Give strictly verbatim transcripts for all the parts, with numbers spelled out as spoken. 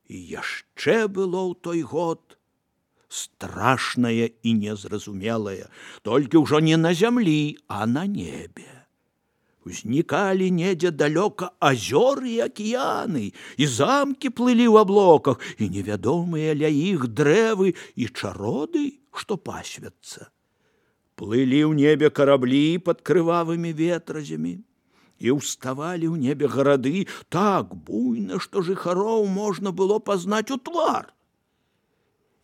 І яшчэ было ў той год страшнае і незразумелае, толькі ўжо не на зямлі, а на небе. Узнікалі недзе далёка азёры і акіяны, і замкі плылі ў аблоках, і невядомыя ля іх дрэвы і чароды, што пасвяцца. Плылі ў небе караблі пад крывавымі ветразямі, і ўставалі ў небе гарады так буйна, што жыхароў можна было пазнаць у твар.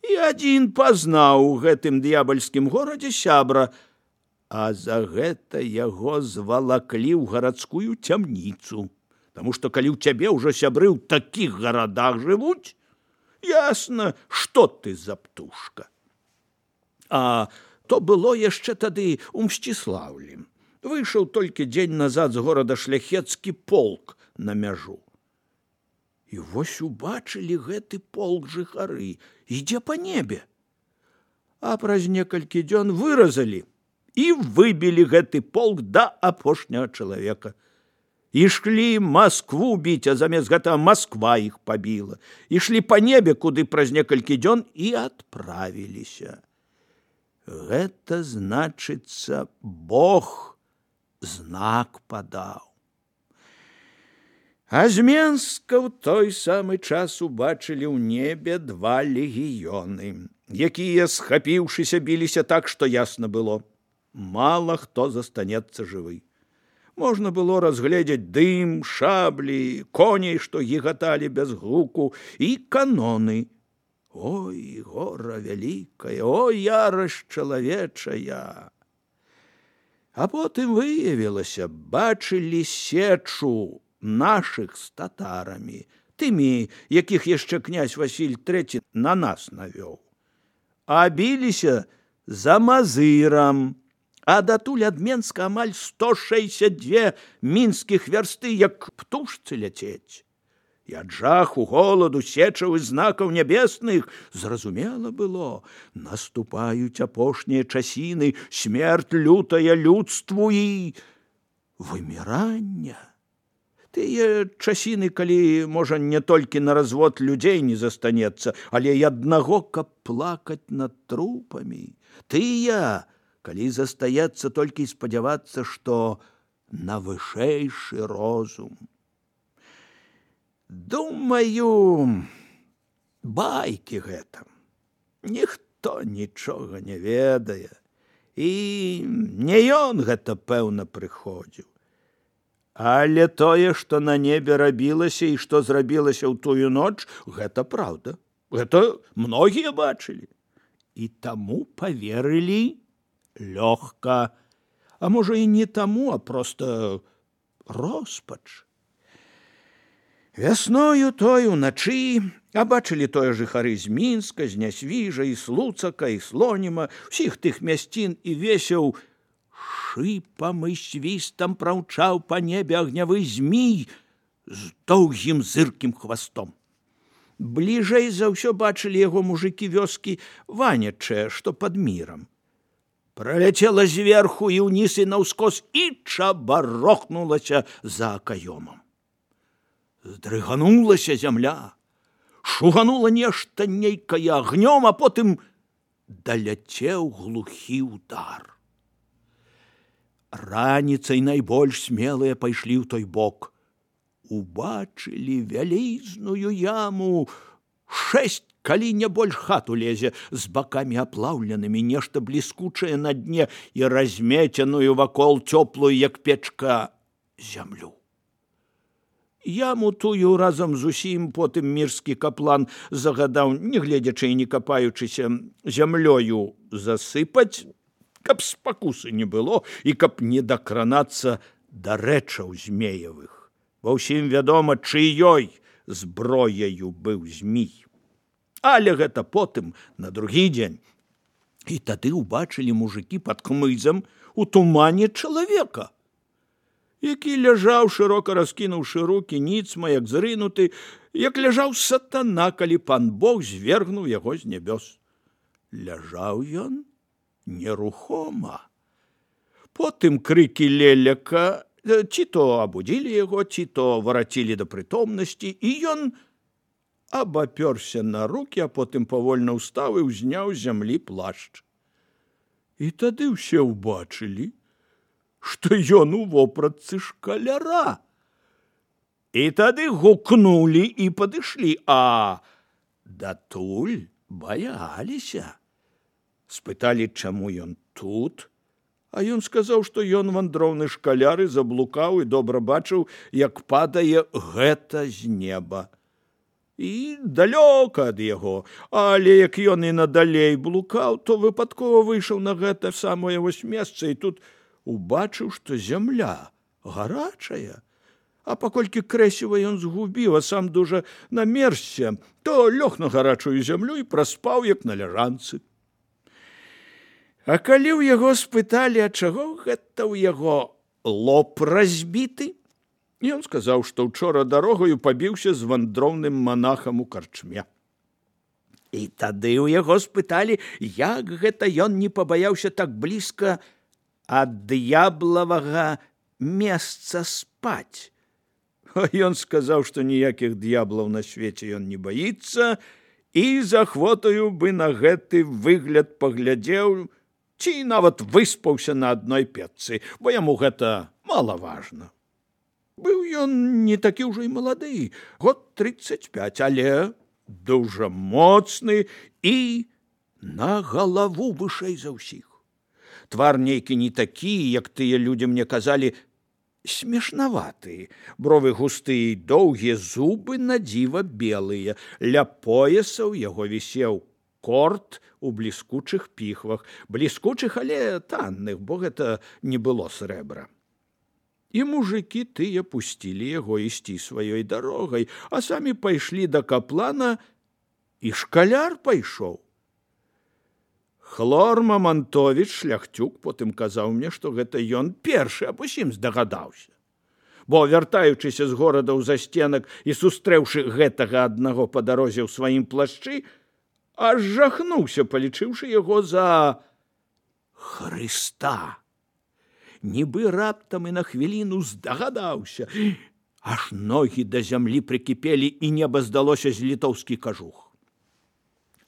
І адзін пазнаў у гэтым д'ябальскім горадзе сябра, а за гэта яго звалаклі ў гарадскую цямніцу, таму што калі ў цябе ўжо сябры ў такіх гарадах жывуць, ясна, што ты за птушка. А то было яшчэ тады ў Мсціслаўлі. Выйшаў толькі дзень назад з горада шляхецкі полк на мяжу. І вось убачылі гэты полк жыхары, ідзе па небе. А праз некалькі дзён выразалі і выбілі гэты полк да апошняга чалавека. Ішлі Маскву біць, а замест гэтага Масква іх пабіла. Ішлі па небе, куды праз некалькі дзён і адправіліся. Гэта значыцца, Бог знак падаў. А з Менска ў той самы час убачылі ў небе два легіёны, якія, схапіўшыся, біліся так, што ясна было. Мала хто застанецца жывы. Можна было разгледзець дым, шаблі, коней, што гігаталі без гуку, і каноны. Ой, гора вялікая, ой, ярасць чалавечая. А потым выявілася, бачылі сечу нашых з татарамі, тымі, якіх яшчэ князь Васіль трэці на нас навёў. А біліся за Мазырам, а датуль ад Менска амаль сто шэсцьдзесят дзве мінскіх вярсты, як птушцы ляцець. І ад жаху, голаду, сечаў і знакаў нябесных зразумела было, наступаюць апошнія часіны, смерць лютая людству і вымірання. Тыя часіны, калі, можа, не толькі на развод людзей не застанецца, але і аднаго, каб плакаць над трупамі. Тыя, калі застаецца толькі спадзявацца, што на вышэйшы розум. Думаю, байкі гэта. Ніхто нічога не ведае. І не ён гэта, пэўна, прыходзіў. Але тое, што на небе рабілася і што зрабілася ў тую ноч, гэта праўда. Гэта многія бачылі. І таму паверылі лёгка. А можа, і не таму, а проста роспач. Вясною той уначы абачылі тое жыхары з Мінска, з Нясвіжа, і Слуцака, і Слоніма, усіх тых мясцін, і весеў шыпам і свістам праўчаў па небе агнявы змій з доўгім зыркім хвастом. Бліжэй за ўсё бачылі яго мужыкі вёскі Ванячыя, што пад мірам. Праляцела зверху і ўніз і наўскос і чабарохнулася за акаёмам. Здрыганулася зямля, шуганула нешта нейкае агнём, а потым даляцеў глухі ўдар. Раніцай найбольш смелыя пайшлі ў той бок. Убачылі вялізную яму, шэсць, калі не больш хату лезе, з бакамі аплаўленымі, нешта бліскучае на дне і размеценую вакол цёплую, як печка, зямлю. Яму тую разам з усім потым мірскі каплан загадаў, не гледзячы і не капаючыся, зямлёю засыпаць, каб спакусы не было і каб не дакранацца да рэчаў змеевых. Ва ўсім вядома, чыёй зброяю быў змій. Але гэта потым, на другі дзень. І тады ўбачылі мужыкі пад хмызам у тумане чалавека, які ляжаў, шырока раскінуўшы рукі, ніцма, як зрынуты, як ляжаў сатана, калі пан Бог звергнуў яго з нябёс. Ляжаў ён нерухома. Потым крыкі леляка ці то абудзілі яго, ці то варацілі да прытомнасці, і ён абапёрся на рукі, а потым павольна ўстаў і ўзняў з зямлі плашч. І тады ўсе ўбачылі, што ён у вопратцы шкаляра. І тады гукнулі і падышлі, а датуль баяліся. Спыталі, чаму ён тут, а ён сказаў, што ён вандроўны шкаляр і заблукаў і добра бачыў, як падае гэта з неба. І далёка ад яго, але як ён і надалей блукаў, то выпадкова выйшаў на гэта самае вось месца і тут убачыў, што зямля гарачая. А паколькі крэсіва ён згубіў, а сам дужа намерзся, то лёг на гарачую зямлю і праспаў, як на ляжанцы. А калі ў яго спыталі, а чаго гэта ў яго лоб разбіты, ён сказаў, што ўчора дарогаю пабіўся з вандроўным манахам у карчме. І тады ў яго спыталі, як гэта ён не пабаяўся так блізка ад д'яблавага месца спаць. А ён сказаў, што ніякіх д'яблаў на свеце ён не баіцца і з ахвотаю бы на гэты выгляд паглядзеў, ці нават выспаўся на адной печцы, бо яму гэта малаважна. Быў ён не такі ўжо і малады, год трыццаць пяць, але дужа моцны і на галаву вышэй за ўсіх. Твар нейкі не такі, як тыя людзі мне казалі, смешнаваты, бровы густыя і доўгія, зубы надзіва белыя, ля пояса ў яго вісеў корт у бліскучых піхвах, бліскучых, але танных, бо гэта не было срэбра. І мужыкі тыя пусцілі яго ісці сваёй дарогай, а самі пайшлі да каплана, і шкаляр пайшоў. Хлор Мамантовіч, шляхцюк, потым казаў мне, што гэта ён першы аб усім здагадаўся. Бо, вяртаючыся з горада ў застенак і сустрэўшы гэтага аднаго па дарозе ў сваім плашчы, аж жахнуўся, палічыўшы яго за Хрыста. Нібы раптам і на хвіліну здагадаўся, аж ногі да зямлі прыкіпелі, і неба здалося з літоўскі кажух.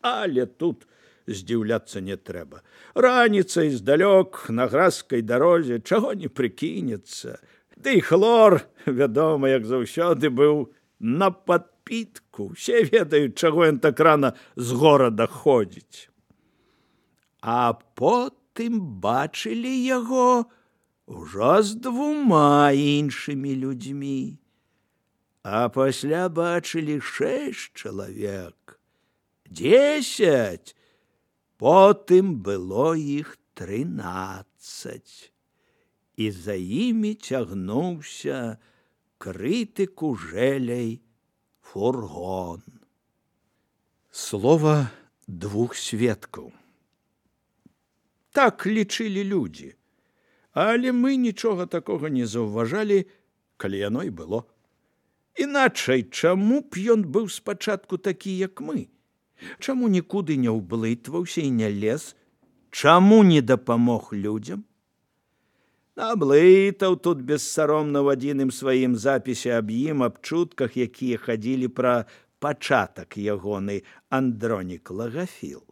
Але тут здзіўляцца не трэба. Раніцай здалёк на гразкай дарозе чаго не прыкінецца. Ды і хлор, вядома, як заўсёды, быў на падпітку. Усе ведаюць, чаго ён так рана з горада ходзіць. А потым бачылі яго ўжо з двума іншымі людзьмі. А пасля бачылі шэсць чалавек. Дзесяць. Потым было іх трынаццаць. І за імі цягнуўся крыты кужэлей фургон. Слова двух сведкаў. Так лічылі людзі. Але мы нічога такога не заўважалі, калі яно і было. Іначай, чаму б ён быў спачатку такі, як мы? Чаму нікуды не ўблытваўся і не лез? Чаму не дапамог людзям? Наблытаў тут бессаромна ў адзіным сваім запісе аб ім, аб чутках, якія хадзілі пра пачатак ягоны Андронік Лагафіл.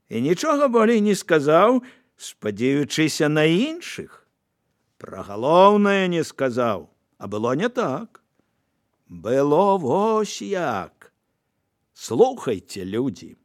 І нічога болей не сказаў, спадзеючыся на іншых. Пра галоўнае не сказаў, а было не так. Было вось як. Слухайце, людзі.